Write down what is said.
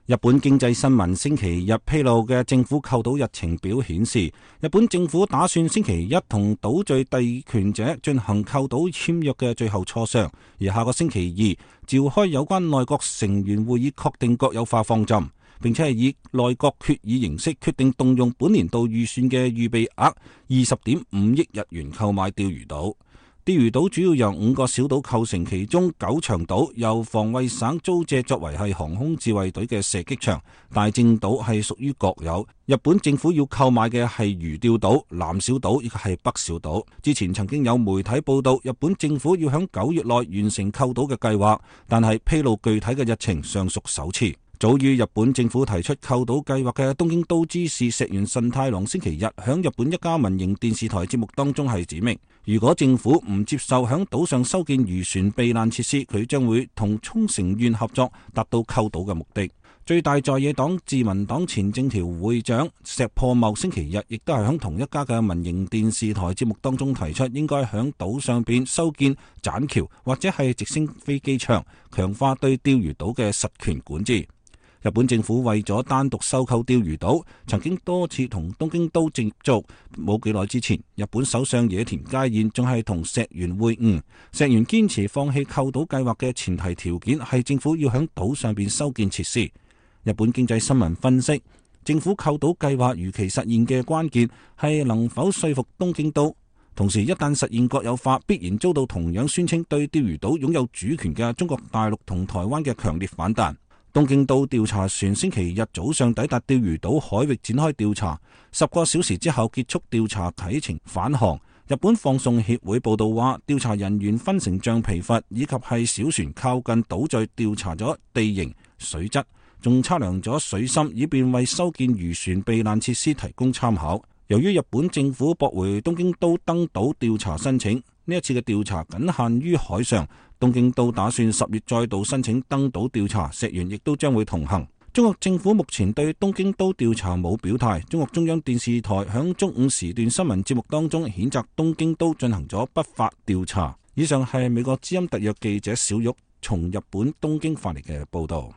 日本經濟新聞星期日披露嘅政府購島日程表顯示，日本政府打算星期一同島嶼地權者進行購島簽約嘅最後磋商，而下個星期二召開有關內閣成員會議，確定國有化方針，並且係以內閣決議形式決定動用本年度預算嘅預備額20.5億日元購買釣魚島。釣魚島主要由5個小島構成，其中九長島由防衛省租借作為係航空自衛隊嘅射擊場，大正島係屬於國有。日本政府要購買嘅係魚釣島、南小島以及係北小島。之前曾經有媒體報道，日本政府要響9月內完成購島嘅計劃，但係披露具體嘅日程尚屬首次。早於日本政府提出購島計劃嘅東京都知事石原慎太郎星期日響日本一家民營電視台節目當中係指明，如果政府唔接受響島上修建漁船避難設施，佢將會同沖繩縣合作達到購島嘅目的。最大在野黨自民黨前政調會長石破茂星期日亦都係響同一家嘅民營電視台節目當中提出，應該響島上邊修建棧橋或者係直升飛機場，強化對釣魚島嘅實權管治。日本政府為咗單獨收購釣魚島，曾經多次同東京都接觸。冇幾耐之前，日本首相野田佳彥仲係同石原會晤。石原堅持放棄購島計劃嘅前提條件係政府要響島上邊修建設施。日本經濟新聞分析，政府購島計劃如期實現嘅關鍵係能否說服東京都。同時，一旦實現國有化，必然遭到同樣宣稱對釣魚島擁有主權嘅中國大陸同台灣嘅強烈反彈。東京都調查船星期日早上抵達釣魚島海域展開調查，10個小時之後結束調查啟程返航。日本放送協會報道話，調查人員分成橡皮筏以及係小船靠近島嶼調查咗地形、水質，仲測量咗水深，以便為修建漁船避難設施提供參考。由於日本政府駁回東京都登島調查申請，呢一次嘅調查僅限於海上。東京都打算10月再度申請登島調查，石原亦都將會同行。中國政府目前對東京都調查冇表態。中國中央電視台響中午時段新聞節目當中譴責東京都進行咗不法調查。以上係美國之音特約記者小玉從日本東京發嚟嘅報道。